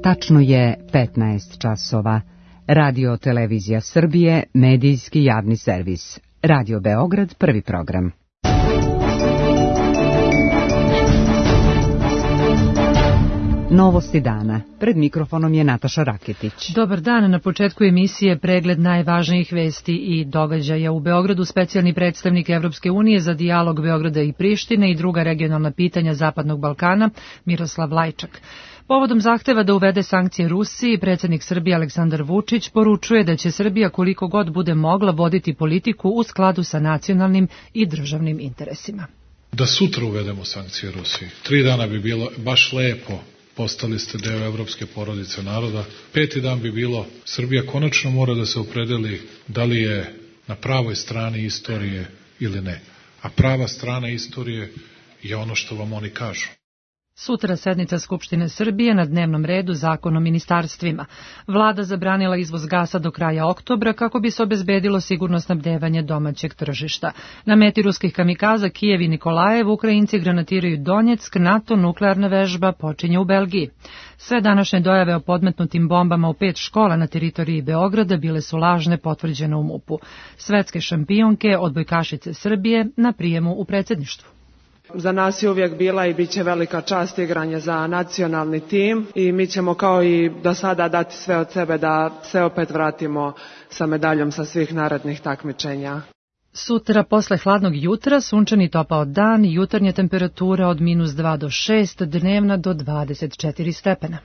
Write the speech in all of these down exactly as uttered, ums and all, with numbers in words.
Tačno je petnaest časova. Radio Televizija Srbije, medijski javni servis. Radio Beograd, prvi program. Novosti dana. Pred mikrofonom je Nataša Raketić. Dobar dan. Na početku emisije pregled najvažnijih vesti i događaja. U Beogradu specijalni predstavnik Evropske unije za dijalog Beograda i Prištine i druga regionalna pitanja Zapadnog Balkana Miroslav Lajčak. Povodom zahteva da uvede sankcije Rusiji, predsjednik Srbije Aleksandar Vučić poručuje da će Srbija koliko god bude mogla voditi politiku u skladu sa nacionalnim i državnim interesima. Da sutra uvedemo sankcije Rusiji. Tri dana bi bilo baš lepo. Postali ste deo evropske porodice naroda. Peti dan bi bilo, Srbija konačno mora da se opredeli da li je na pravoj strani istorije ili ne. A prava strana istorije je ono što vam oni kažu. Sutra sednica Skupštine Srbije, na dnevnom redu Zakon o ministarstvima. Vlada zabranila izvoz gasa do kraja oktobra kako bi se obezbedilo sigurno snabdevanje domaćeg tržišta. Na meti ruskih kamikaza Kijev i Nikolajev Ukrajinci granatiraju Donjeck, NATO nuklearna vežba počinje u Belgiji. Sve današnje dojave o podmetnutim bombama u pet škola na teritoriji Beograda bile su lažne, potvrđene u MUP-u. Svetske šampionke, odbojkašice Srbije, na prijemu u predsjedništvu. Za nas je uvijek bila i bit će velika čast igranje za nacionalni tim i mi ćemo kao i do sada dati sve od sebe da se opet vratimo sa medaljom sa svih narednih takmičenja. Sutra posle hladnog jutra sunčani topao dan, jutarnja temperatura od minus dva do šest, dnevna do dvadeset četiri stepena.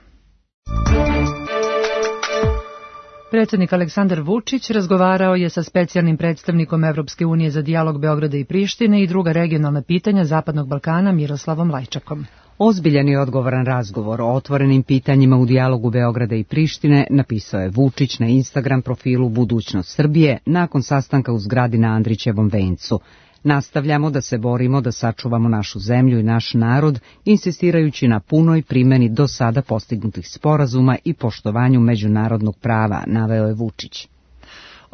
Predsjednik Aleksandar Vučić razgovarao je sa specijalnim predstavnikom Evropske unije za dijalog Beograda i Prištine i druga regionalna pitanja Zapadnog Balkana Miroslavom Lajčakom. Ozbiljan i odgovoran razgovor o otvorenim pitanjima u dijalogu Beograda i Prištine napisao je Vučić na Instagram profilu Budućnost Srbije nakon sastanka u zgradi na Andrićevom vencu. Nastavljamo da se borimo da sačuvamo našu zemlju i naš narod, insistirajući na punoj primjeni do sada postignutih sporazuma i poštovanju međunarodnog prava, naveo je Vučić.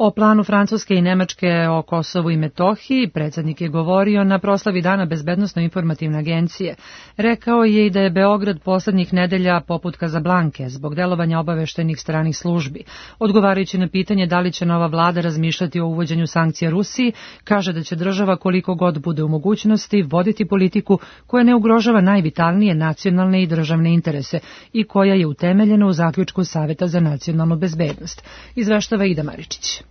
O planu Francuske i Nemačke o Kosovu i Metohiji predsjednik je govorio na proslavi Dana bezbednosno-informativne agencije. Rekao je i da je Beograd poslednjih nedelja poput Kazablanke zbog delovanja obaveštenih stranih službi. Odgovarajući na pitanje da li će nova vlada razmišljati o uvođenju sankcija Rusiji, kaže da će država koliko god bude u mogućnosti voditi politiku koja ne ugrožava najvitalnije nacionalne i državne interese i koja je utemeljena u zaključku Saveta za nacionalnu bezbednost. Izveštava Ida Maričić.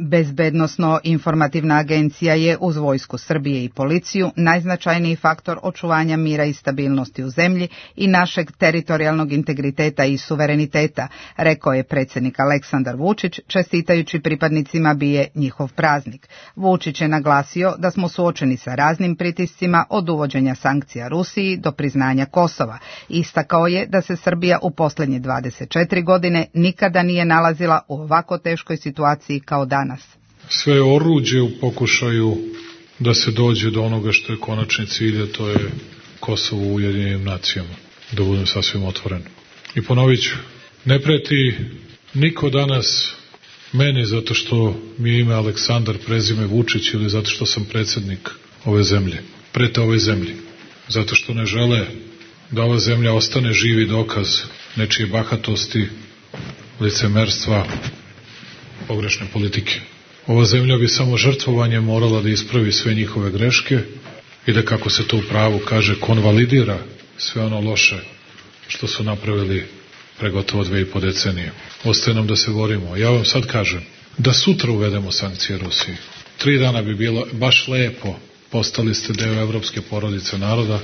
Bezbednosno-informativna agencija je uz Vojsku Srbije i policiju najznačajniji faktor očuvanja mira i stabilnosti u zemlji i našeg teritorijalnog integriteta i suvereniteta, rekao je predsjednik Aleksandar Vučić, čestitajući pripadnicima B I E njihov praznik. Vučić je naglasio da smo suočeni sa raznim pritiscima od uvođenja sankcija Rusiji do priznanja Kosova. Istakao je da se Srbija u posljednje dvadeset četiri godine nikada nije nalazila u ovako teškoj situaciji kao danas. Sve je oruđe u pokušaju da se dođe do onoga što je konačni cilj, a to je Kosovo u Ujedinjenim nacijama, da budem sasvim otvoren. I ponovit ću, ne preti niko danas meni zato što mi je ime Aleksandar, prezime Vučić ili zato što sam predsjednik ove zemlje. Prete ove zemlji, zato što ne žele da ova zemlja ostane živi dokaz nečije bahatosti, licemerstva, pogrešne politike. Ova zemlja bi samo žrtvovanjem morala da ispravi sve njihove greške i da, kako se to u pravu kaže, konvalidira sve ono loše što su napravili pre gotovo dve i po decenije. Ostaje nam da se borimo. Ja vam sad kažem, da sutra uvedemo sankcije Rusiji. Tri dana bi bilo baš lepo, postali ste deo evropske porodice naroda.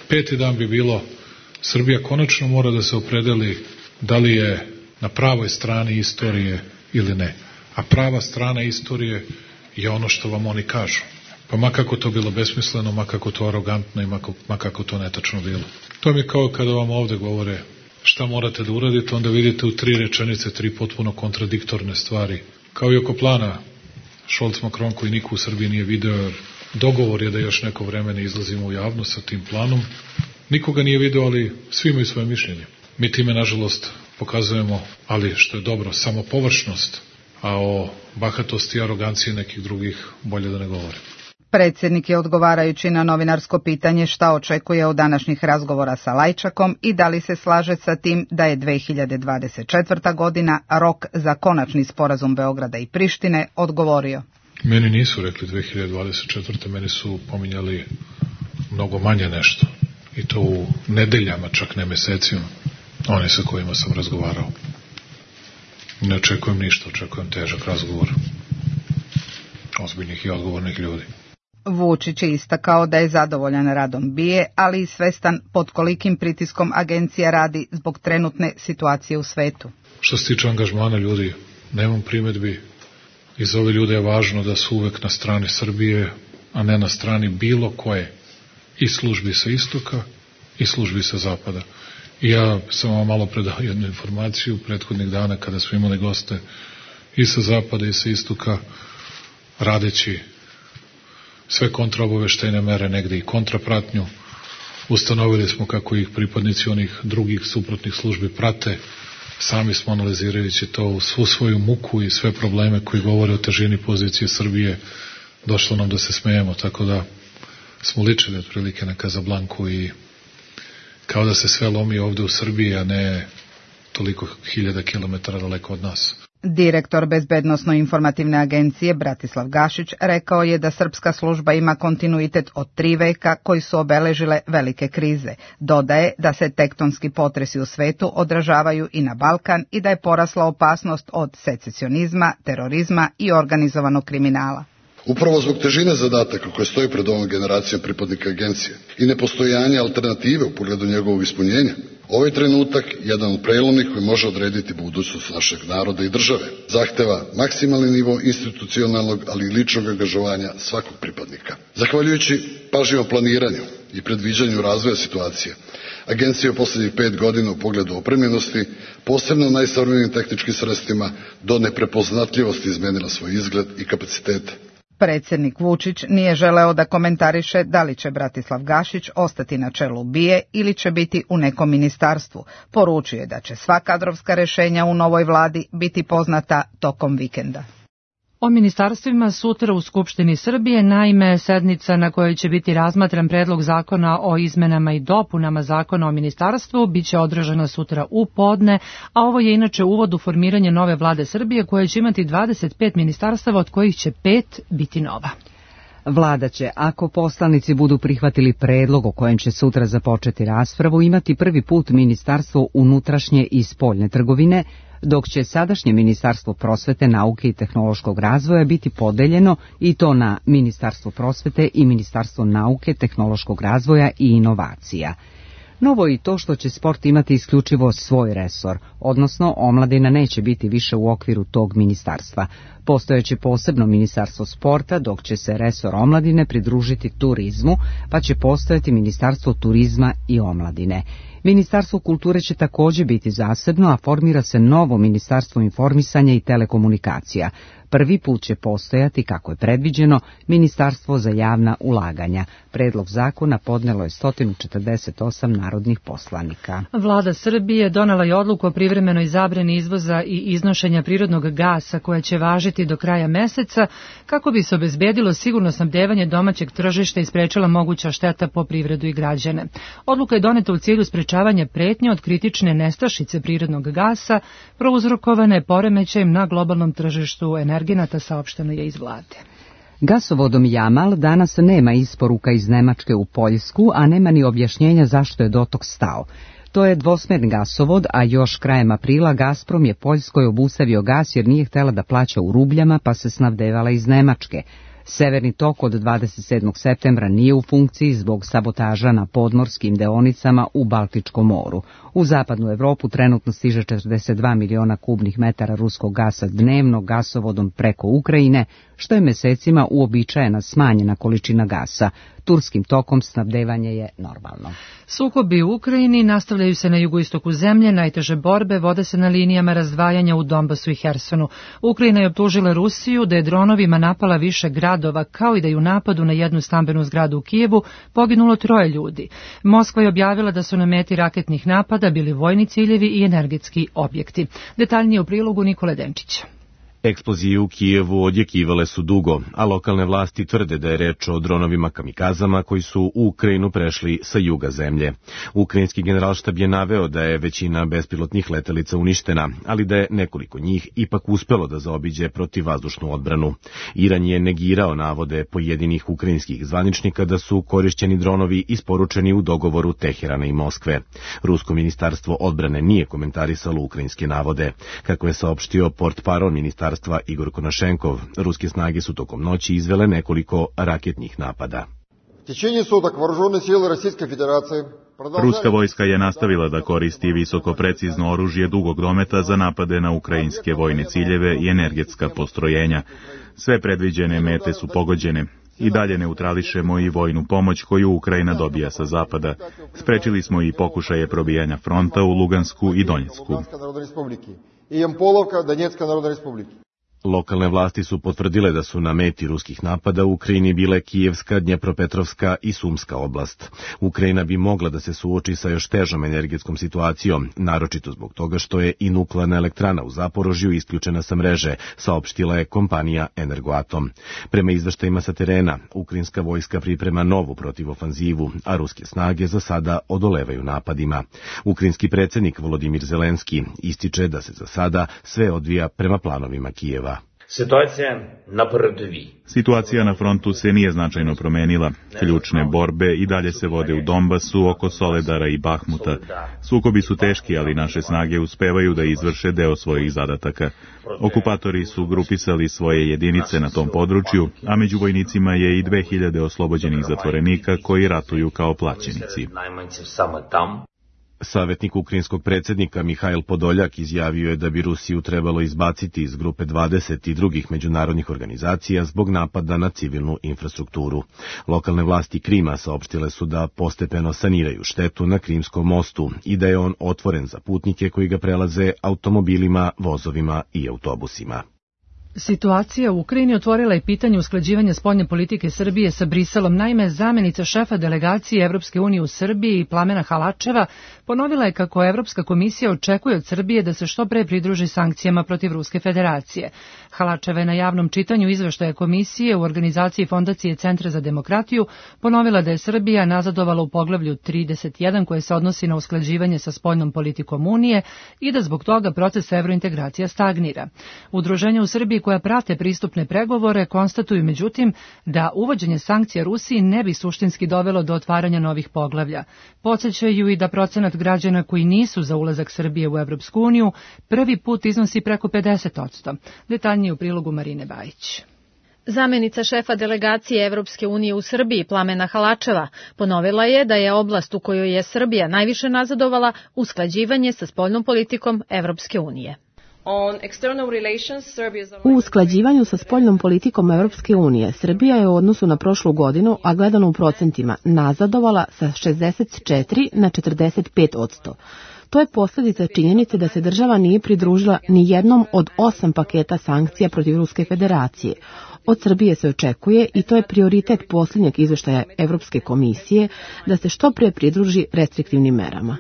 Peti dan bi bilo, Srbija konačno mora da se opredeli da li je na pravoj strani istorije ili ne. A prava strana istorije je ono što vam oni kažu. Pa makako to bilo besmisleno, makako to arogantno i makako to netačno bilo. To mi je kao kada vam ovde govore šta morate da uradite, onda vidite u tri rečenice tri potpuno kontradiktorne stvari. Kao i oko plana Scholz-Macron koji niko u Srbiji nije video, dogovor je da još neko vreme ne izlazimo u javnost sa tim planom. Nikoga nije video, ali svi imaju svoje mišljenje. Mi time, nažalost, pokazujemo, ali što je dobro, samo površnost, a o bahatosti i aroganciji nekih drugih bolje da ne govorim. Predsjednik je odgovarajući na novinarsko pitanje šta očekuje od današnjih razgovora sa Lajčakom i da li se slaže sa tim da je dve hiljade dvadeset četvrta godina rok za konačni sporazum Beograda i Prištine, odgovorio. Meni nisu rekli dve hiljade dvadeset četvrte. Meni su pominjali mnogo manje nešto. I to u nedeljama, čak ne mesecima. Oni sa kojima sam razgovarao. Ne očekujem ništa, očekujem težak razgovor ozbiljnih i odgovornih ljudi. Vučić je istakao da je zadovoljan radom B I A E, ali i svestan pod kolikim pritiskom agencija radi zbog trenutne situacije u svetu. Što se tiče angažmana ljudi, nemam primedbi. I za ove ljude je važno da su uvek na strani Srbije, a ne na strani bilo koje. I službi sa istoka, i službi sa zapada. I ja sam vam malo predao jednu informaciju prethodnih dana kada smo imali goste i sa zapada i sa istoka, radeći sve kontraobaveštajne mere, negde i kontrapratnju. Ustanovili smo kako ih pripadnici onih drugih suprotnih službi prate. Sami smo analizirajući to u svu svoju muku i sve probleme koji govore o težini pozicije Srbije, došlo nam da se smejemo, tako da smo ličili otprilike na Kazablanku i kao da se sve lomi ovde u Srbiji, a ne toliko hiljada kilometara daleko od nas. Direktor Bezbednosno-informativne agencije Bratislav Gašić rekao je da srpska služba ima kontinuitet od tri veka koji su obeležile velike krize. Dodaje da se tektonski potresi u svetu odražavaju i na Balkan i da je porasla opasnost od secesionizma, terorizma i organizovanog kriminala. Upravo zbog težine zadataka koje stoji pred ovom generacijom pripadnika agencije i nepostojanja alternative u pogledu njegovog ispunjenja, ovaj trenutak jedan od prelomnih koji može odrediti budućnost našeg naroda i države. Zahteva maksimalni nivo institucionalnog, ali i ličnog angažovanja svakog pripadnika. Zahvaljujući pažljivom planiranju i predviđanju razvoja situacije, agencija je u poslednjih pet godina u pogledu opremljenosti, posebno najsavremenijim tehničkim sredstvima, do neprepoznatljivosti izmenila svoj izgled i kapacitete. Predsjednik Vučić nije želeo da komentariše da li će Bratislav Gašić ostati na čelu B I A E ili će biti u nekom ministarstvu. Poručio je da će sva kadrovska rešenja u novoj vladi biti poznata tokom vikenda. O ministarstvima sutra u Skupštini Srbije, naime sednica na kojoj će biti razmatran predlog zakona o izmenama i dopunama zakona o ministarstvu biće održana sutra u podne, a ovo je inače uvod u formiranje nove vlade Srbije koja će imati dvadeset pet ministarstava, od kojih će pet biti nova. Vlada će, ako poslanici budu prihvatili predlog o kojem će sutra započeti raspravu, imati prvi put Ministarstvo unutrašnje i spoljne trgovine, dok će sadašnje Ministarstvo prosvete, nauke i tehnološkog razvoja biti podeljeno i to na Ministarstvo prosvete i Ministarstvo nauke, tehnološkog razvoja i inovacija. Novo je i to što će sport imati isključivo svoj resor, odnosno omladina neće biti više u okviru tog ministarstva. Postojeće posebno Ministarstvo sporta, dok će se resor omladine pridružiti turizmu, pa će postojati Ministarstvo turizma i omladine. Ministarstvo kulture će također biti zasebno, a formira se novo Ministarstvo informisanja i telekomunikacija. Prvi put će postojati, kako je predviđeno, Ministarstvo za javna ulaganja. Predlog zakona podnelo je sto četrdeset osam narodnih poslanika. Vlada Srbije donela je odluku o privremenoj zabrani izvoza i iznošenja prirodnog gasa koja će važiti do kraja meseca kako bi se obezbedilo sigurno snabdevanje domaćeg tržišta i sprečila moguća šteta po privredu i građane. Odluka je doneta u cilju sprečavanja pretnje od kritične nestašice prirodnog gasa prouzrokovane poremećajem na globalnom tržištu energenata, saopšteno je iz vlade. Gasovodom Jamal danas nema isporuka iz Nemačke u Poljsku, a nema ni objašnjenja zašto je dotok stao. To je dvosmerni gasovod, a još krajem aprila Gazprom je Poljskoj obustavio gas jer nije htela da plaća u rubljama, pa se snabdevala iz Nemačke. Severni tok od dvadeset sedmog septembra nije u funkciji zbog sabotaža na podmorskim deonicama u Baltičkom moru. U zapadnu Evropu trenutno stiže četrdeset dva miliona kubnih metara ruskog gasa dnevno gasovodom preko Ukrajine, što je mesecima uobičajena smanjena količina gasa. Turskim tokom snabdevanje je normalno. Sukobi u Ukrajini nastavljaju se na jugoistoku zemlje, najteže borbe vode se na linijama razdvajanja u Donbasu i Hersonu. Ukrajina je optužila Rusiju da je dronovima napala više gradova, kao i da je u napadu na jednu stambenu zgradu u Kijevu poginulo troje ljudi. Moskva je objavila da su na meti raketnih napada bili vojni ciljevi i energetski objekti. Detaljnije u prilogu Nikole Denčića. Eksplozije u Kijevu odjekivale su dugo, a lokalne vlasti tvrde da je reč o dronovima kamikazama koji su u Ukrajinu prešli sa juga zemlje. Ukrajinski generalštab je naveo da je većina bespilotnih letelica uništena, ali da je nekoliko njih ipak uspelo da zaobiđe protivvazdušnu odbranu. Iran je negirao navode pojedinih ukrajinskih zvaničnika da su korišćeni dronovi isporučeni u dogovoru Teherana i Moskve. Rusko ministarstvo odbrane nije komentarisalo ukrajinske navode. Kako je saopštio portparol ministarstva Igor Konašenkov, ruske snage su tokom noći izvele nekoliko raketnih napada. Ruska vojska je nastavila da koristi visoko precizno oružje dugog dometa za napade na ukrajinske vojne ciljeve i energetska postrojenja. Sve predviđene mete su pogođene. I dalje neutrališemo i vojnu pomoć koju Ukrajina dobija sa zapada. Sprečili smo i pokušaje probijanja fronta u Lugansku i Donjecku. Lokalne vlasti su potvrdile da su na meti ruskih napada u Ukrajini bile Kijevska, Dnjepropetrovska i Sumska oblast. Ukrajina bi mogla da se suoči sa još težom energetskom situacijom, naročito zbog toga što je i nuklearna elektrana u Zaporožju isključena sa mreže, saopštila je kompanija Energoatom. Prema izveštajima sa terena, ukrajinska vojska priprema novu protivofanzivu, a ruske snage za sada odolevaju napadima. Ukrajinski predsjednik Volodimir Zelenski ističe da se za sada sve odvija prema planovima Kijeva. Situacija na frontu se nije značajno promenila. Ključne borbe i dalje se vode u Donbasu, oko Soledara i Bahmuta. Sukobi su teški, ali naše snage uspevaju da izvrše deo svojih zadataka. Okupatori su grupisali svoje jedinice na tom području, a među vojnicima je i dve hiljade oslobođenih zatvorenika koji ratuju kao plaćenici. Savjetnik ukrajinskog predsjednika Mihajl Podoljak izjavio je da bi Rusiju trebalo izbaciti iz grupe dvadeset i drugih međunarodnih organizacija zbog napada na civilnu infrastrukturu. Lokalne vlasti Krima saopštile su da postepeno saniraju štetu na Krimskom mostu i da je on otvoren za putnike koji ga prelaze automobilima, vozovima i autobusima. Situacija u Ukrajini otvorila je pitanje usklađivanja spoljne politike Srbije sa Briselom. Naime, zamenica šefa delegacije Evropske unije u Srbiji Plamena Halačeva ponovila je kako Evropska komisija očekuje od Srbije da se što pre pridruži sankcijama protiv Ruske federacije. Halačeva je na javnom čitanju izveštaja komisije u organizaciji Fondacije Centra za demokratiju ponovila da je Srbija nazadovala u poglavlju trideset jedan koje se odnosi na usklađivanje sa spoljnom politikom Unije i da zbog toga proces evrointegracija stagnira. Udruženja u Srbiji koja prate pristupne pregovore konstatuju međutim da uvođenje sankcija Rusiji ne bi suštinski dovelo do otvaranja novih poglavlja. Podsjećaju i da procenat građana koji nisu za ulazak Srbije u Evropsku uniju prvi put iznosi preko pedeset odsto. Detaljnije u prilogu Marine Bajić. Zamenica šefa delegacije Evropske unije u Srbiji Plamena Halačeva ponovila je da je oblast u kojoj je Srbija najviše nazadovala usklađivanje sa spoljnom politikom Evropske unije. U usklađivanju sa spoljnom politikom Evropske unije, Srbija je u odnosu na prošlu godinu, a gledano u procentima, nazadovala sa šezdeset četiri na četrdeset pet odsto. To je posljedica činjenice da se država nije pridružila ni jednom od osam paketa sankcija protiv Ruske federacije. Od Srbije se očekuje, i to je prioritet posljednjeg izveštaja Evropske komisije, da se što pre pridruži restriktivnim merama.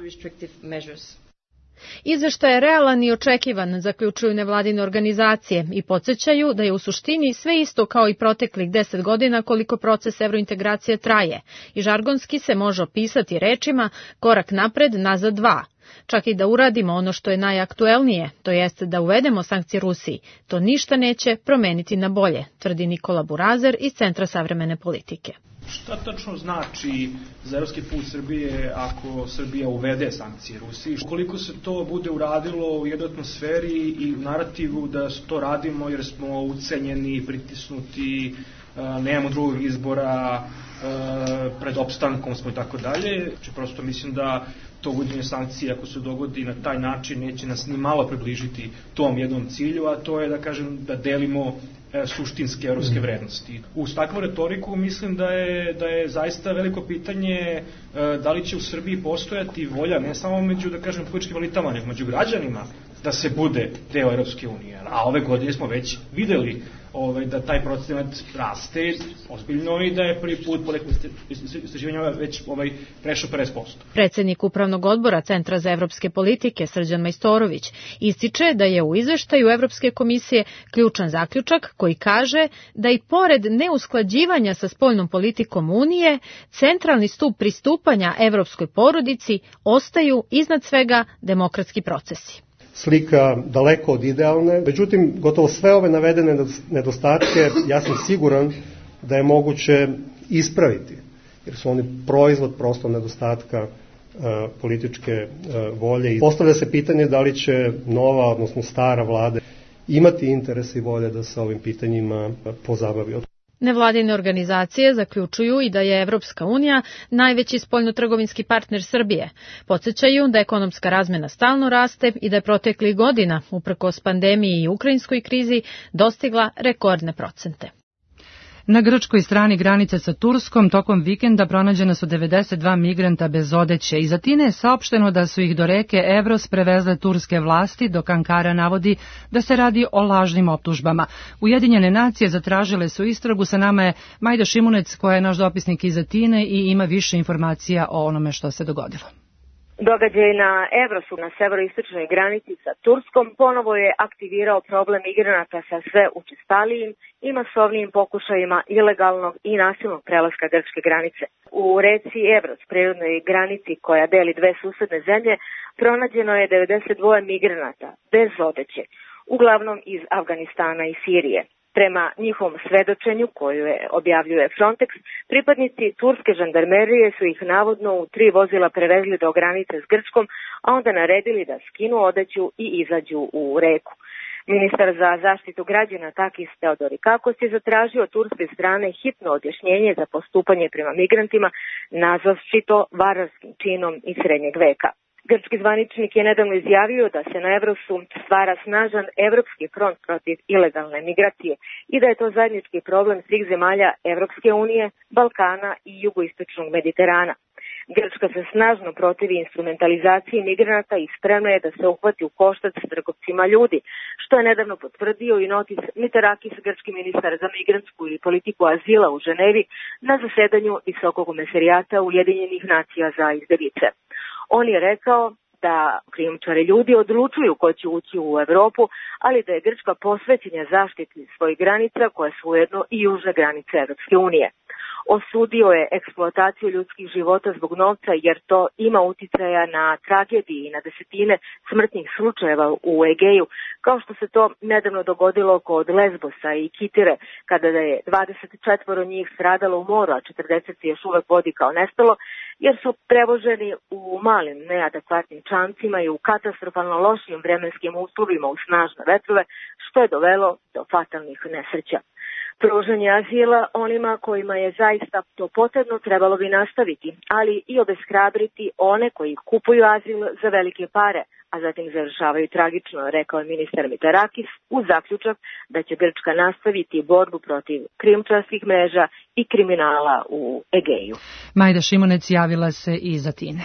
Izveštaj je realan i očekivan, zaključuju nevladine organizacije i podsjećaju da je u suštini sve isto kao i proteklih deset godina koliko proces evrointegracije traje i žargonski se može opisati rečima korak napred, nazad dva. Čak i da uradimo ono što je najaktuelnije, to jeste da uvedemo sankcije Rusiji, to ništa neće promeniti na bolje, tvrdi Nikola Burazer iz Centra savremene politike. Šta tačno znači za evropski put Srbije ako Srbija uvede sankcije Rusiji? Koliko se to bude uradilo u jednoj atmosferi i u narativu da to radimo jer smo ucenjeni, pritisnuti, nemamo drugog izbora, pred opstankom smo i tako dalje. Prosto mislim da to uvođenje sankcija, ako se dogodi na taj način, neće nas ni malo približiti tom jednom cilju, a to je da kažem da delimo suštinske evropske vrednosti. Uz takvu retoriku mislim da je, da je zaista veliko pitanje da li će u Srbiji postojati volja ne samo među, da kažem, političkim elitama, nego među građanima da se bude deo Evropske unije. A ove godine smo već videli ovaj, da taj procenat raste ozbiljno i da je prvi put po nekom istraživanju već ovaj, prešao pedeset posto. Predsednik Upravnog odbora Centra za evropske politike Srđan Majstorović ističe da je u izveštaju Evropske komisije ključan zaključak koji kaže da i pored neusklađivanja sa spoljnom politikom Unije, centralni stup pristupanja evropskoj porodici ostaju iznad svega demokratski procesi. Slika daleko od idealne, međutim, gotovo sve ove navedene nedostatke, ja sam siguran da je moguće ispraviti, jer su oni proizvod prosto nedostatka uh, političke uh, volje. I postavlja se pitanje da li će nova, odnosno stara vlada imati interes i volje da se ovim pitanjima pozabavi. Nevladine organizacije zaključuju i da je Evropska unija najveći spoljnotrgovinski partner Srbije. Podsećaju da ekonomska razmena stalno raste i da je proteklih godina, uprkos pandemiji i ukrajinskoj krizi, dostigla rekordne procente. Na grčkoj strani granice sa Turskom tokom vikenda pronađena su devedeset dva migranta bez odeće. Iz Atine je saopšteno da su ih do reke Evros prevezle turske vlasti, dok Ankara navodi da se radi o lažnim optužbama. Ujedinjene nacije zatražile su istragu. Sa nama je Majda Šimunec, koja je naš dopisnik iz Atine i ima više informacija o onome što se dogodilo. Događaj na Evrosu na severoistočnoj granici sa Turskom ponovo je aktivirao problem migranata sa sve učestalijim i masovnijim pokušajima ilegalnog i nasilnog prelaska grčke granice. U reci Evros, prirodnoj granici koja deli dve susedne zemlje, pronađeno je devedeset dva migranata bez odeće, uglavnom iz Afganistana i Sirije. Prema njihovom svedočenju, koju je objavljuje Frontex, pripadnici turske žandarmerije su ih navodno u tri vozila prevezli do granice s Grčkom, a onda naredili da skinu odeću i izađu u reku. Ministar za zaštitu građana Takis Theodorikakos je zatražio od turske strane hitno objašnjenje za postupanje prema migrantima, nazvavši to vararskim činom iz srednjeg veka. Grčki zvaničnik je nedavno izjavio da se na Evrosu stvara snažan evropski front protiv ilegalne migracije i da je to zajednički problem svih zemalja Evropske unije, Balkana i jugoistočnog Mediterana. Grčka se snažno protivi instrumentalizaciji migranata i spremna je da se uhvati u koštac s trgovcima ljudi, što je nedavno potvrdio i Notis Mitarakis, grčki ministar za migrantsku i politiku azila u Ženevi, na zasedanju Visokog komesarijata Ujedinjenih nacija za izbeglice. On je rekao da krijumčari ljudi odlučuju ko će ući u Evropu, ali da je Grčka posvećena zaštiti svojih granica, koje su ujedno i južne granice Evropske unije. Osudio je eksploataciju ljudskih života zbog novca, jer to ima uticaja na tragediji i na desetine smrtnih slučajeva u Egeju, kao što se to nedavno dogodilo kod Lesbosa i Kitire, kada je dvadeset četvoro njih stradalo u moru, a četrdeset se još uvek vodi kao nestalo, jer su prevoženi u malim neadekvatnim čamcima i u katastrofalno lošim vremenskim uslovima u snažne vetrove, što je dovelo do fatalnih nesreća. Pružanje azila onima kojima je zaista to potrebno trebalo bi nastaviti, ali i obeshrabriti one koji kupuju azil za velike pare, a zatim završavaju tragično, rekao je ministar Mitarakis, uz zaključak da će Grčka nastaviti borbu protiv krijumčarskih mreža i kriminala u Egeju. Majda Šimunec javila se iz Atine.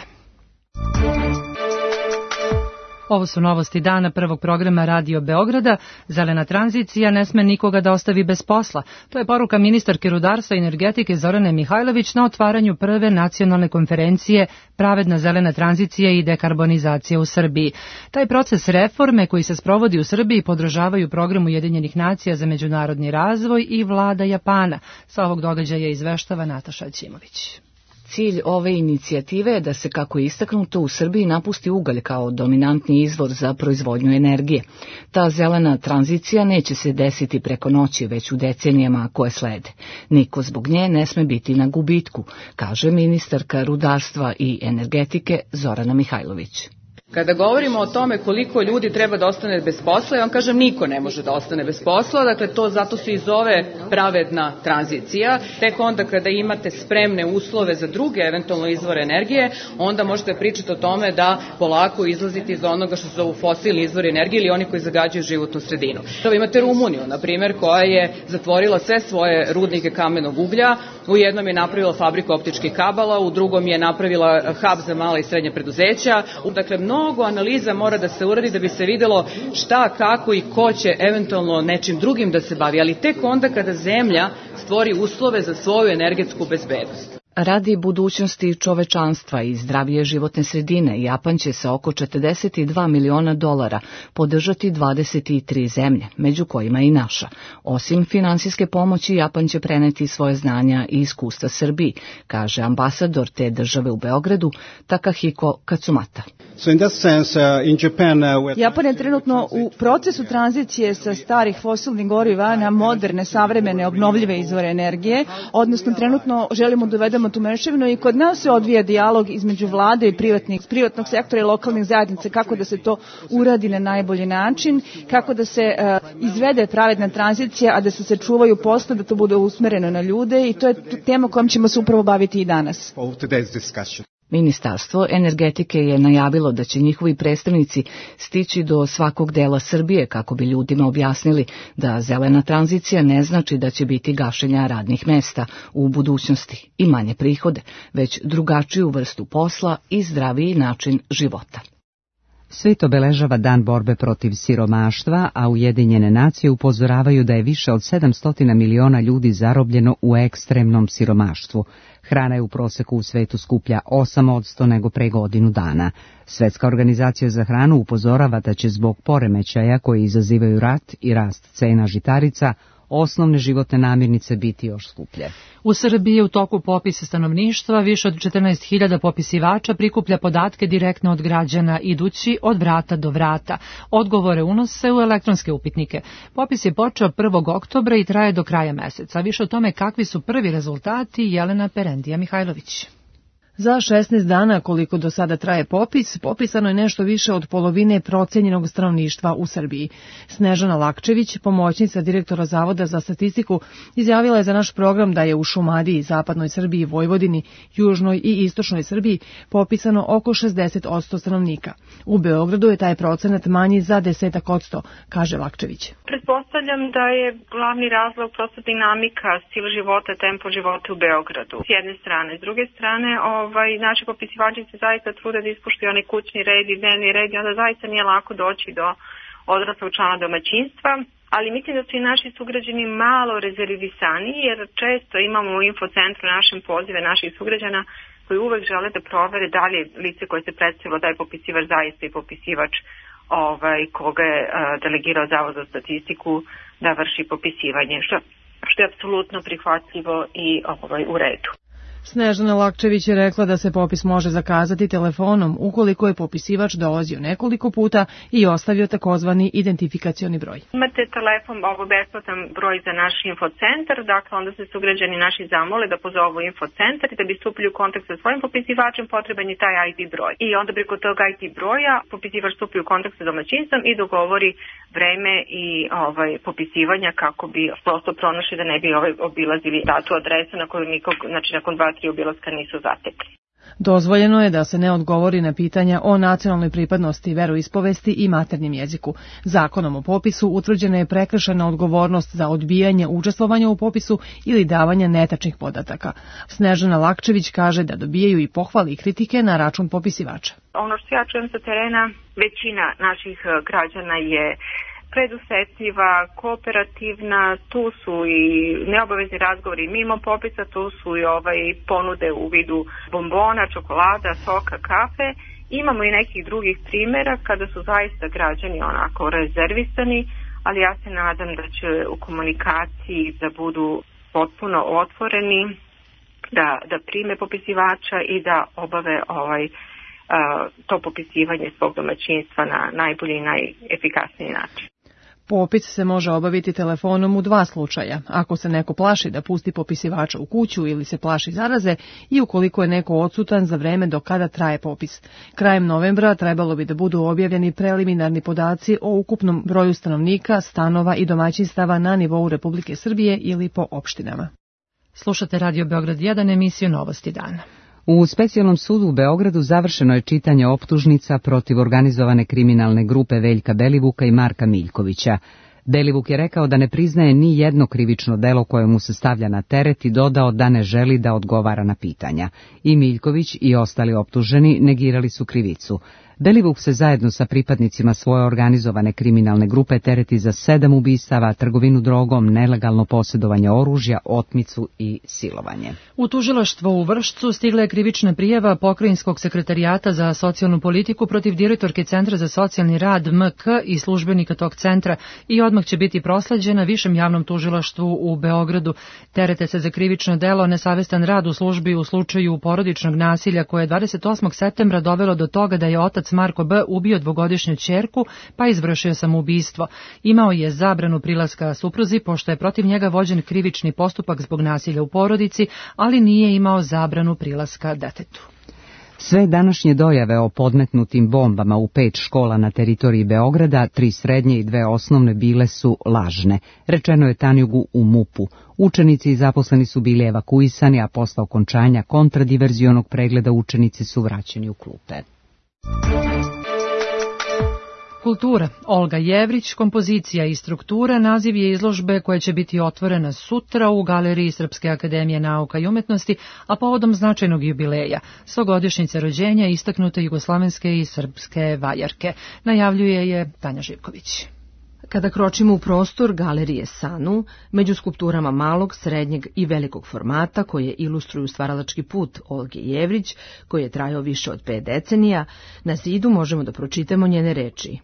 Ovo su novosti dana prvog programa Radio Beograda. Zelena tranzicija ne sme nikoga da ostavi bez posla. To je poruka ministarke rudarstva i energetike Zorane Mihajlović na otvaranju prve nacionalne konferencije Pravedna zelena tranzicija i dekarbonizacija u Srbiji. Taj proces reforme koji se sprovodi u Srbiji podržavaju program Ujedinjenih nacija za međunarodni razvoj i vlada Japana. Sa ovog događaja izveštava Nataša Ćimović. Cilj ove inicijative je da se, kako je istaknuto, u Srbiji napusti ugalj kao dominantni izvor za proizvodnju energije. Ta zelena tranzicija neće se desiti preko noći, već u decenijama koje slede. Niko zbog nje ne sme biti na gubitku, kaže ministarka rudarstva i energetike Zorana Mihajlović. Kada govorimo o tome koliko ljudi treba da ostane bez posla, ja vam kažem niko ne može da ostane bez posla, dakle to zato se i zove pravedna tranzicija. Tek onda kada imate spremne uslove za druge eventualno izvore energije, onda možete pričati o tome da polako izlazite iz onoga što su zovu fosilni izvori energije ili oni koji zagađuju životnu sredinu. To imate Rumuniju, na primjer, koja je zatvorila sve svoje rudnike kamenog uglja, u jednom je napravila fabriku optičkih kabala, u drugom je napravila hub za mala i srednja preduzeća, dakle mnogo mnogo analiza mora da se uradi da bi se videlo šta, kako i ko će eventualno nečim drugim da se bavi, ali tek onda kada zemlja stvori uslove za svoju energetsku bezbednost. Radi budućnosti čovečanstva i zdravije životne sredine, Japan će sa oko četrdeset dva miliona dolara podržati dvadeset tri zemlje, među kojima i naša. Osim finansijske pomoći, Japan će preneti svoje znanja i iskustva Srbiji, kaže ambasador te države u Beogradu, Takahiko Katsumata. Japan je trenutno u procesu tranzicije sa starih fosilnih goriva na moderne, savremene, obnovljive izvore energije, odnosno trenutno želimo da uvedemo tu mešavinu i kod nas se odvija dijalog između vlade i privatnih, privatnog sektora i lokalnih zajednica kako da se to uradi na najbolji način, kako da se uh, izvede pravedna tranzicija, a da se sačuvaju posla, da to bude usmereno na ljude i to je tema kojom ćemo se upravo baviti i danas. Ministarstvo energetike je najavilo da će njihovi predstavnici stići do svakog dela Srbije kako bi ljudima objasnili da zelena tranzicija ne znači da će biti gašenja radnih mesta u budućnosti i manje prihode, već drugačiju vrstu posla i zdraviji način života. Svet obeležava Dan borbe protiv siromaštva, a Ujedinjene nacije upozoravaju da je više od sedamsto miliona ljudi zarobljeno u ekstremnom siromaštvu. Hrana je u proseku u svetu skuplja osam posto nego pre godinu dana. Svetska organizacija za hranu upozorava da će zbog poremećaja koji izazivaju rat i rast cena žitarica osnovne životne namirnice biti još skuplje. U Srbiji je u toku popisa stanovništva, više od četrnaest hiljada popisivača prikuplja podatke direktno od građana, idući od vrata do vrata. Odgovore unose u elektronske upitnike. Popis je počeo prvog oktobra i traje do kraja meseca. Više o tome kakvi su prvi rezultati, Jelena Perendija Mihajlović. Za šesnaest dana, koliko do sada traje popis, popisano je nešto više od polovine procenjenog stanovništva u Srbiji. Snežana Lakčević, pomoćnica direktora Zavoda za statistiku, izjavila je za naš program da je u Šumadiji, zapadnoj Srbiji, Vojvodini, južnoj i istočnoj Srbiji popisano oko šezdeset posto stanovnika. U Beogradu je taj procenat manji za deset posto, kaže Lakčević. Pretpostavljam da je glavni razlog prosto dinamika, stil života, tempo života u Beogradu. S jedne strane, s druge strane, ovaj, naši popisivači se zaista trude da ispuštuju onaj kućni red i dnevni red i onda zaista nije lako doći do odraslog člana domaćinstva. Ali mislim da su i naši sugrađani malo rezervisani, jer često imamo u infocentru našem pozive naših sugrađana koji uvek žele da provere da li je lice koje se predstavilo da je popisivač zaista i popisivač ovaj, koga je uh, delegirao Zavod za statistiku da vrši popisivanje, što, što je apsolutno prihvatljivo i ovaj, u redu. Snežana Lakčević je rekla da se popis može zakazati telefonom ukoliko je popisivač dolazio nekoliko puta i ostavio takozvani identifikacioni broj. Imate telefon, ovo besplatan broj za naš infocentar, dakle onda se sugrađani naši zamole da pozovu infocentar i da bi stupili u kontakt sa svojim popisivačem potreban je taj I D broj. I onda preko tog I D broja popisivač stupi u kontakt sa domaćinstvom i dogovori vreme i ovaj popisivanja kako bi prosto pronašli da ne bi ovaj obilazili datu adresu na koju nikog, znači nakon dva tri obilaska nisu zatekli. Dozvoljeno je da se ne odgovori na pitanja o nacionalnoj pripadnosti, veroispovesti i maternjem jeziku. Zakonom o popisu utvrđena je prekršajna odgovornost za odbijanje učestvovanja u popisu ili davanja netačnih podataka. Snežana Lakčević kaže da dobijaju i pohvali i kritike na račun popisivača. Ono što ja čujem sa terena, većina naših građana je predusetljiva, kooperativna, tu su i neobavezni razgovori mimo popisa, tu su i ovaj ponude u vidu bombona, čokolada, soka, kafe. Imamo i nekih drugih primjera kada su zaista građani onako rezervisani, ali ja se nadam da će u komunikaciji da budu potpuno otvoreni, da, da prime popisivača i da obave ovaj to popisivanje svog domaćinstva na najbolji i najefikasniji način. Popis se može obaviti telefonom u dva slučaja, ako se neko plaši da pusti popisivača u kuću ili se plaši zaraze i ukoliko je neko odsutan za vreme do kada traje popis. Krajem novembra trebalo bi da budu objavljeni preliminarni podaci o ukupnom broju stanovnika, stanova i domaćinstava na nivou Republike Srbije ili po opštinama. Slušate Radio Beograd jedan, emisiju Novosti dana. U specijalnom sudu u Beogradu završeno je čitanje optužnica protiv organizovane kriminalne grupe Veljka Belivuka i Marka Miljkovića. Belivuk je rekao da ne priznaje ni jedno krivično delo koje mu se stavlja na teret i dodao da ne želi da odgovara na pitanja. I Miljković i ostali optuženi negirali su krivicu. Belivuk se zajedno sa pripadnicima svoje organizovane kriminalne grupe tereti za sedam ubistava, trgovinu drogom, nelegalno posjedovanje oružja, otmicu i silovanje. U tužilaštvo u Vršcu stigla je krivična prijava Pokrajinskog sekretarijata za socijalnu politiku protiv direktorke Centra za socijalni rad M K i službenika tog centra i odmah će biti prosleđena Višem javnom tužilaštvu u Beogradu. Terete se za krivično delo nesavestan rad u službi u slučaju porodičnog nasilja koje je dvadeset osmog septembra dovelo do toga da je otac Marko B. ubio dvogodišnju ćerku pa izvršio samoubistvo. Imao je zabranu prilaska supruzi pošto je protiv njega vođen krivični postupak zbog nasilja u porodici, ali nije imao zabranu prilaska detetu. Sve današnje dojave o podmetnutim bombama u pet škola na teritoriji Beograda, tri srednje i dve osnovne, bile su lažne, rečeno je Tanjugu u MUP-u. Učenici i zaposleni su bili evakuisani, a posle okončanja kontradiverzionog pregleda učenici su vraćeni u klupe. Kultura. Olga Jevrić, kompozicija i struktura, naziv je izložbe koja će biti otvorena sutra u Galeriji Srpske akademije nauka i umetnosti, a povodom značajnog jubileja, stogodišnjice rođenja istaknute jugoslavenske i srpske vajarke. Najavljuje je Tanja Živković. Kada kročimo u prostor Galerije Sanu, među skulpturama malog, srednjeg i velikog formata koje ilustruju stvaralački put Olge Jevrić, koji je trajao više od pet decenija, na zidu možemo da pročitamo njene reči.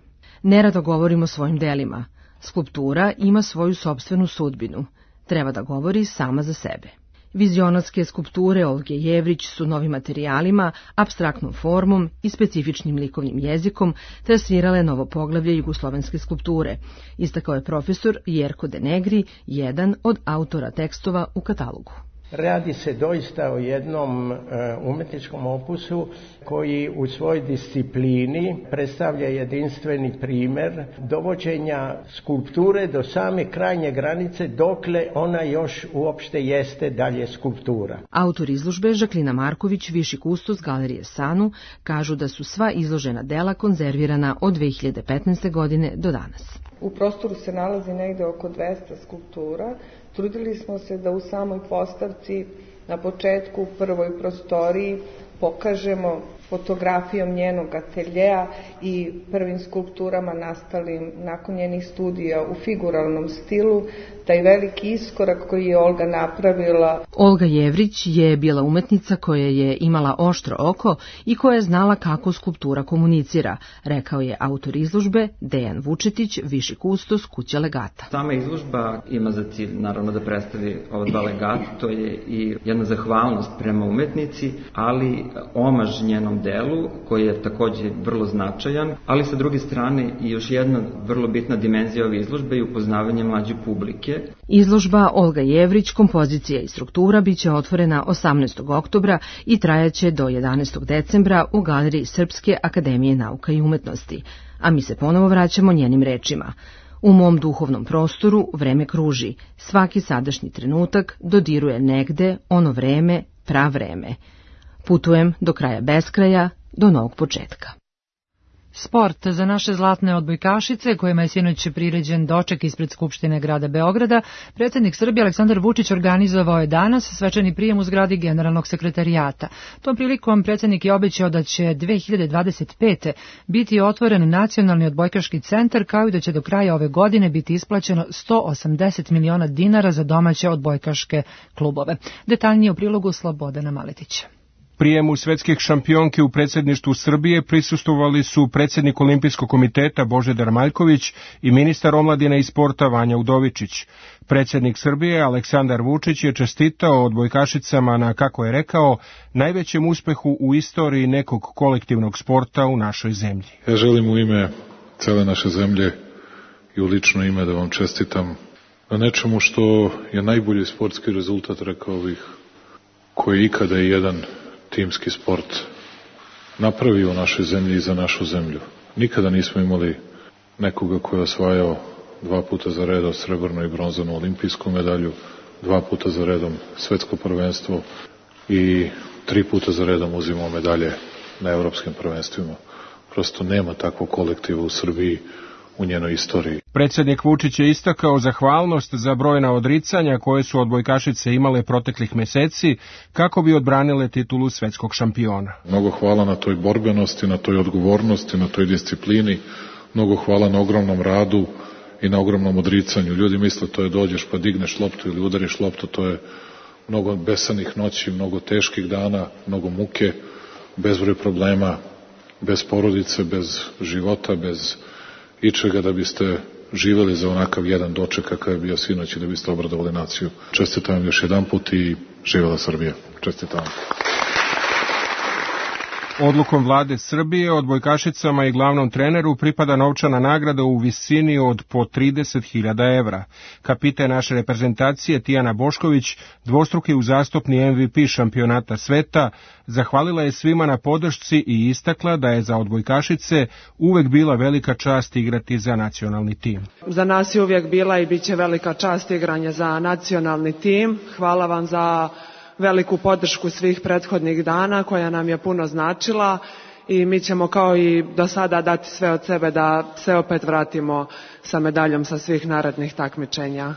Nerado govorimo o svojim delima. Skulptura ima svoju sopstvenu sudbinu. Treba da govori sama za sebe. Vizionarske skulpture Olge Jevrić su novim materijalima, apstraktnom formom i specifičnim likovnim jezikom trasirale novo poglavlje jugoslovenske skulpture, istakao je profesor Jerko De Negri, jedan od autora tekstova u katalogu. Radi se doista o jednom umetničkom opusu koji u svojoj disciplini predstavlja jedinstveni primer dovođenja skulpture do same krajnje granice dokle ona još uopšte jeste dalje skulptura. Autor izložbe Žaklina Marković, viši kustos Galerije Sanu, kažu da su sva izložena dela konzervirana od dve hiljade petnaeste. godine do danas. U prostoru se nalazi negde oko dvesta skulptura. Trudili smo se da u samoj postavci, na početku, u prvoj prostoriji, pokažemo fotografijom njenog ateljeja i prvim skulpturama nastalim nakon njenih studija u figuralnom stilu, taj veliki iskorak koji je Olga napravila. Olga Jevrić je bila umetnica koja je imala oštro oko i koja je znala kako skulptura komunicira, rekao je autor izložbe Dejan Vučetić, viši kustos kuće Legata. Sama izložba ima za cilj naravno da predstavi ova dva legata, to je i jedna zahvalnost prema umetnici, ali omaž njenom delu koji je takođe vrlo značajan, ali sa druge strane i još jedna vrlo bitna dimenzija ove izložbe je upoznavanje mlađe publike. Izložba Olga Jevrić, kompozicija i struktura biće otvorena osamnaestog oktobra i trajaće do jedanaestog decembra u Galeriji Srpske akademije nauka i umetnosti. A mi se ponovo vraćamo njenim rečima. U mom duhovnom prostoru vreme kruži. Svaki sadašnji trenutak dodiruje negde ono vreme, pravreme. Putujem do kraja beskraja, do novog početka. Sport za naše zlatne odbojkašice, kojima je sinoć priređen doček ispred Skupštine grada Beograda, predsjednik Srbije Aleksandar Vučić organizovao je danas svečani prijem u zgradi Generalnog sekretarijata. Tom prilikom predsjednik je obećao da će dve hiljade dvadeset pete. biti otvoren nacionalni odbojkaški centar, kao i da će do kraja ove godine biti isplaćeno sto osamdeset miliona dinara za domaće odbojkaške klubove. Detaljnije u prilogu Slobodana Maletića. Prijemu svetskih šampionki u predsjedništvu Srbije prisustvovali su predsjednik Olimpijskog komiteta Božidar Maljković i ministar omladine i sporta Vanja Udovičić. Predsjednik Srbije Aleksandar Vučić je čestitao odbojkašicama na, kako je rekao, najvećem uspehu u istoriji nekog kolektivnog sporta u našoj zemlji. Ja želim u ime cele naše zemlje i u lično ime da vam čestitam na nečemu što je najbolji sportski rezultat, rekao bih, koji ikada je jedan timski sport napravio u našoj zemlji i za našu zemlju. Nikada nismo imali nekoga koji je osvajao dva puta za redom srebrnu i bronzanu olimpijsku medalju, dva puta za redom svetsko prvenstvo i tri puta za redom uzimao medalje na evropskim prvenstvima. Prosto nema takvog kolektiva u Srbiji u njenoj istoriji. Predsjednik Vučić je istakao zahvalnost za brojna odricanja koje su odbojkašice imale proteklih meseci kako bi odbranile titulu svetskog šampiona. Mnogo hvala na toj borbenosti, na toj odgovornosti, na toj disciplini, mnogo hvala na ogromnom radu i na ogromnom odricanju. Ljudi misle to je dođeš pa digneš loptu ili udariš loptu, to je mnogo besanih noći, mnogo teških dana, mnogo muke, bezbroj problema, bez porodice, bez života, bez ičega da biste živeli za onakav jedan doček kakav je bio sinoć i da biste obradovali naciju. Čestitam vam još jedan put i živela Srbija. Čestitam vam. Odlukom vlade Srbije odbojkašicama i glavnom treneru pripada novčana nagrada u visini od po trideset hiljada evra. Kapiten naše reprezentacije Tijana Bošković, dvostruki uzastopni M V P šampionata sveta, zahvalila je svima na podršci i istakla da je za odbojkašice uvek bila velika čast igrati za nacionalni tim. Za nas je uvijek bila i bit će velika čast igranje za nacionalni tim. Hvala vam za veliku podršku svih prethodnih dana koja nam je puno značila i mi ćemo kao i do sada dati sve od sebe da se opet vratimo sa medaljom sa svih narednih takmičenja.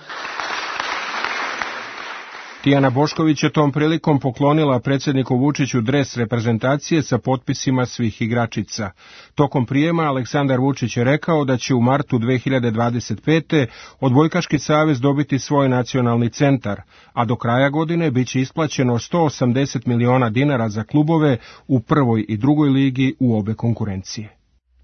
Tijana Bošković je tom prilikom poklonila predsjedniku Vučiću dres reprezentacije sa potpisima svih igračica. Tokom prijema Aleksandar Vučić je rekao da će u martu dve hiljade dvadeset pete Odbojkaški savez dobiti svoj nacionalni centar, a do kraja godine biće isplaćeno sto osamdeset miliona dinara za klubove u prvoj i drugoj ligi u obe konkurencije.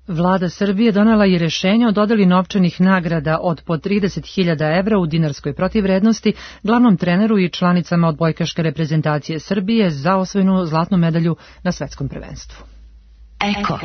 Vlada Srbije donela je rješenje o dodeli novčanih nagrada od po trideset hiljada evra u dinarskoj protivvrednosti glavnom treneru i članicama odbojkaške reprezentacije Srbije za osvojenu zlatnu medalju na svetskom prvenstvu. Eko.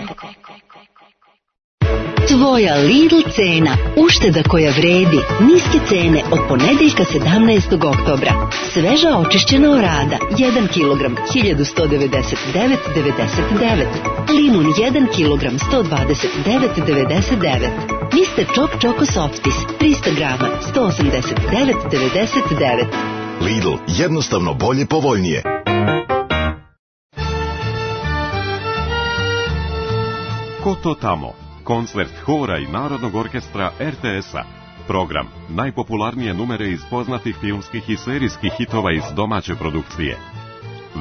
Tvoja Lidl cena, ušteda koja vredi, niske cene od ponedeljka sedamnaestog oktobra. Sveža očišćena orada, jedan kilogram, hiljadu sto devedeset devet zarez devedeset devet. Limun jedan kilogram, sto dvadeset devet zarez devedeset devet. mister Čop Čoko Softis, trista grama, sto osamdeset devet zarez devedeset devet. Lidl, jednostavno bolje, povoljnije. Ko to tamo? Koncert hora i Narodnog orkestra R T S-a. Program najpopularnije numere iz poznatih filmskih i serijskih hitova iz domaće produkcije.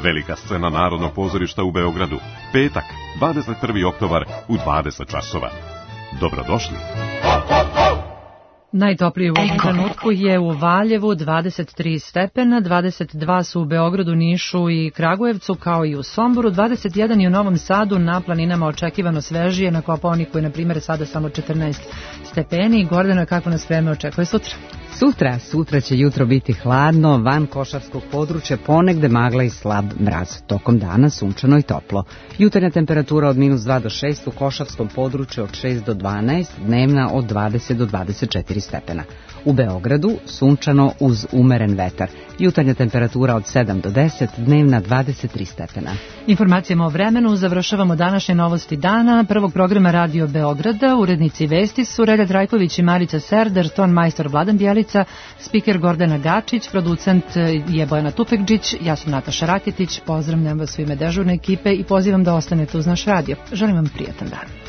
Velika scena Narodnog pozorišta u Beogradu. Petak, dvadeset prvi oktobar u dvadeset časova. Dobrodošli. Najtoplije u ovom trenutku je u Valjevu dvadeset tri stepena, dvadeset dva su u Beogradu, Nišu i Kragujevcu, kao i u Somboru, dvadeset jedan i u Novom Sadu, na planinama očekivano svežije, na Kopaoniku je, na primjer, sada samo četrnaest stepeni. Gordano, kako nas vreme očekuje sutra? Sutra, sutra će jutro biti hladno, van košarskog područja ponegde magla i slab mraz. Tokom dana sunčano i toplo. Jutarnja temperatura od minus dva do šest, u košarskom području od šest do dvanaest, dnevna od dvadeset do dvadeset četiri stepena. U Beogradu sunčano uz umeren vetar. Jutarnja temperatura od sedam do deset, dnevna dvadeset tri stepena. Informacijama o vremenu završavamo današnje novosti dana prvog programa Radio Beograda. Urednici vesti su Relja Trajković i Marica Serdar, ton majstor Vladan Bjelica, spiker Gordana Gačić, producent je Bojana Tufekđić, ja sam Nataša Raketić, pozdravljam vas u ime dežurne ekipe i pozivam da ostanete uz naš radio. Želim vam prijatan dan.